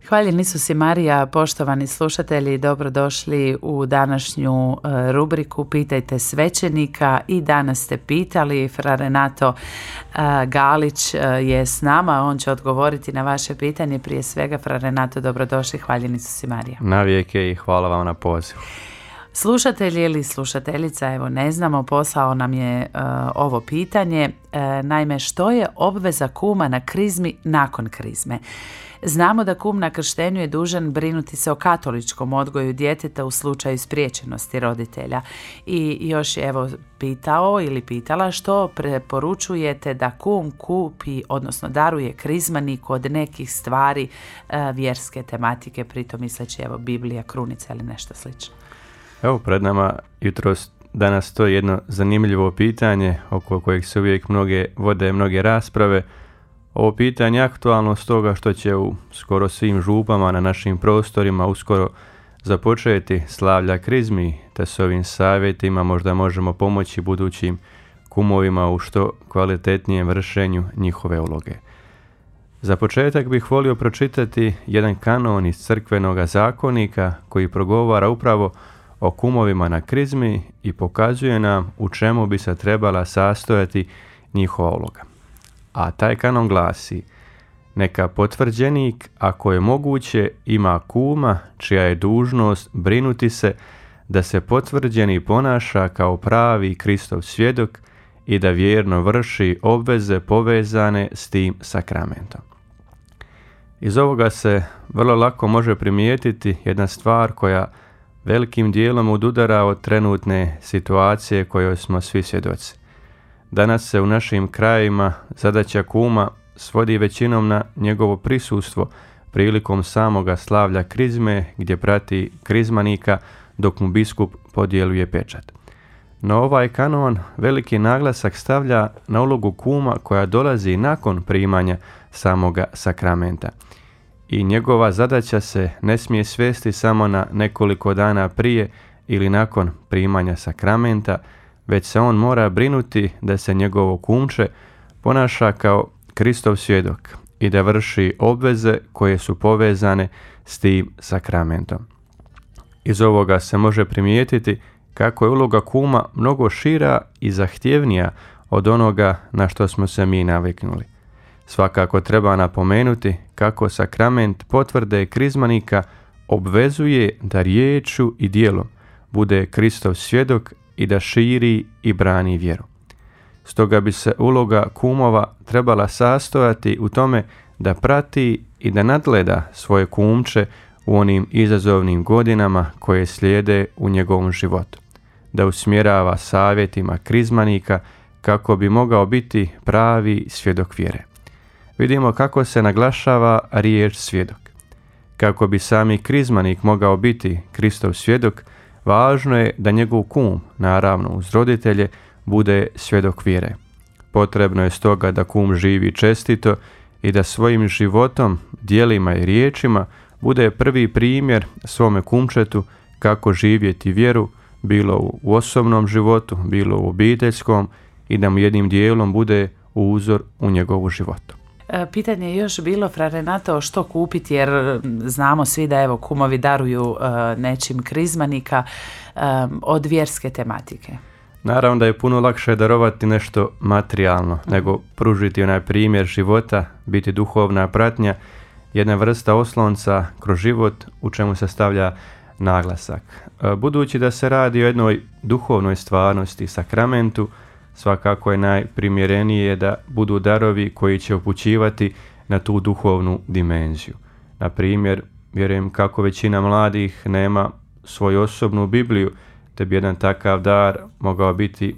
Hvaljen Isus i Marija, poštovani slušatelji, dobrodošli u današnju rubriku Pitajte svećenika. I danas ste pitali, fra Renato Galić je s nama, on će odgovoriti na vaše pitanje. Prije svega, fra Renato, dobrodošli, hvaljen Isus i Marija. Navijeke i hvala vam na pozivu. Slušatelj ili slušateljica, evo ne znamo, poslao nam je ovo pitanje. Naime, što je obveza kuma na krizmi nakon krizme? Znamo da kum na krštenju je dužan brinuti se o katoličkom odgoju djeteta u slučaju spriječenosti roditelja. I još je evo pitao ili pitala što preporučujete da kum kupi, odnosno daruje krizmaniku od nekih stvari vjerske tematike, pritom misleći evo Biblija, krunica ili nešto slično. Evo pred nama jutros danas to je jedno zanimljivo pitanje oko kojeg se uvijek vode mnoge rasprave. Ovo pitanje je aktualno stoga što će u skoro svim župama na našim prostorima uskoro započeti slavlja krizmi, te s ovim savjetima možda možemo pomoći budućim kumovima u što kvalitetnijem vršenju njihove uloge. Za početak bih volio pročitati jedan kanon iz crkvenoga zakonika koji progovara upravo o kumovima na krizmi i pokazuje nam u čemu bi se trebala sastojati njihova uloga. A taj kanon glasi: neka potvrđenik, ako je moguće, ima kuma čija je dužnost brinuti se da se potvrđeni ponaša kao pravi Kristov svjedok i da vjerno vrši obveze povezane s tim sakramentom. Iz ovoga se vrlo lako može primijetiti jedna stvar koja velikim dijelom odudara od trenutne situacije kojoj smo svi svjedoci. Danas se u našim krajevima zadaća kuma svodi većinom na njegovo prisustvo prilikom samoga slavlja krizme gdje prati krizmanika dok mu biskup podjeljuje pečat. No ovaj kanon veliki naglasak stavlja na ulogu kuma koja dolazi nakon primanja samoga sakramenta. I njegova zadaća se ne smije svesti samo na nekoliko dana prije ili nakon primanja sakramenta, već se on mora brinuti da se njegovo kumče ponaša kao Kristov svjedok i da vrši obveze koje su povezane s tim sakramentom. Iz ovoga se može primijetiti kako je uloga kuma mnogo šira i zahtjevnija od onoga na što smo se mi naviknuli. Svakako treba napomenuti kako sakrament potvrde krizmanika obvezuje da riječju i djelom bude Kristov svjedok i da širi i brani vjeru. Stoga bi se uloga kumova trebala sastojati u tome da prati i da nadgleda svoje kumče u onim izazovnim godinama koje slijede u njegovom životu, da usmjerava savjetima krizmanika kako bi mogao biti pravi svjedok vjere. Vidimo kako se naglašava riječ svjedok. Kako bi sami krizmanik mogao biti Kristov svjedok, važno je da njegov kum, naravno uz roditelje, bude svjedok vjere. Potrebno je stoga da kum živi čestito i da svojim životom, djelima i riječima bude prvi primjer svome kumčetu kako živjeti vjeru, bilo u osobnom životu, bilo u obiteljskom, i da mu jednim dijelom bude uzor u njegovu životu. Pitanje je još bilo, fra Renato, što kupiti, jer znamo svi da evo kumovi daruju nečim krizmanika od vjerske tematike. Naravno da je puno lakše darovati nešto materijalno nego pružiti onaj primjer života, biti duhovna pratnja, jedna vrsta oslonca kroz život u čemu se stavlja naglasak. Budući da se radi o jednoj duhovnoj stvarnosti, sakramentu, svakako je najprimjerenije da budu darovi koji će upućivati na tu duhovnu dimenziju. Na primjer, vjerujem kako većina mladih nema svoju osobnu Bibliju, te bi jedan takav dar mogao biti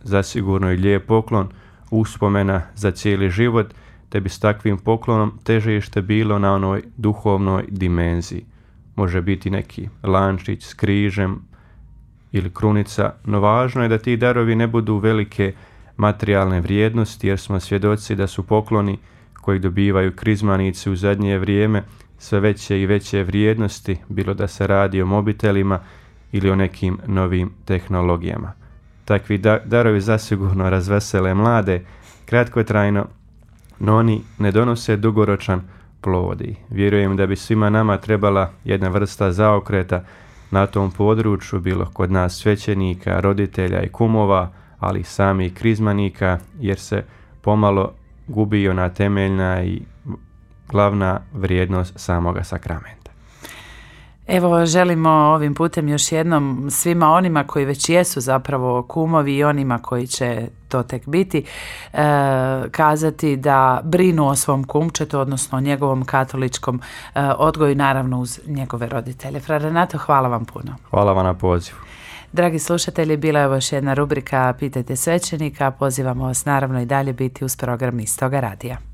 zasigurno i lijep poklon, uspomena za cijeli život, te bi s takvim poklonom težište bilo na onoj duhovnoj dimenziji. Može biti neki lančić s križem ili krunica, no važno je da ti darovi ne budu velike materijalne vrijednosti, jer smo svjedoci da su pokloni koji dobivaju krizmanici u zadnje vrijeme sve veće i veće vrijednosti, bilo da se radi o mobitelima ili o nekim novim tehnologijama. Takvi darovi zasigurno razvesele mlade kratkotrajno, no oni ne donose dugoročan plodi. Vjerujem da bi svima nama trebala jedna vrsta zaokreta na tom području, bilo kod nas svećenika, roditelja i kumova, ali i samih krizmanika, jer se pomalo gubi ona temeljna i glavna vrijednost samoga sakramenta. Evo, želimo ovim putem još jednom svima onima koji već jesu zapravo kumovi i onima koji će to tek biti, kazati da brinu o svom kumčetu, odnosno o njegovom katoličkom odgoju, naravno uz njegove roditelje. Fra Renato, hvala vam puno. Hvala vam na pozivu. Dragi slušatelji, bila je ovo još jedna rubrika Pitajte svećenika. Pozivamo vas naravno i dalje biti uz program Istoga radija.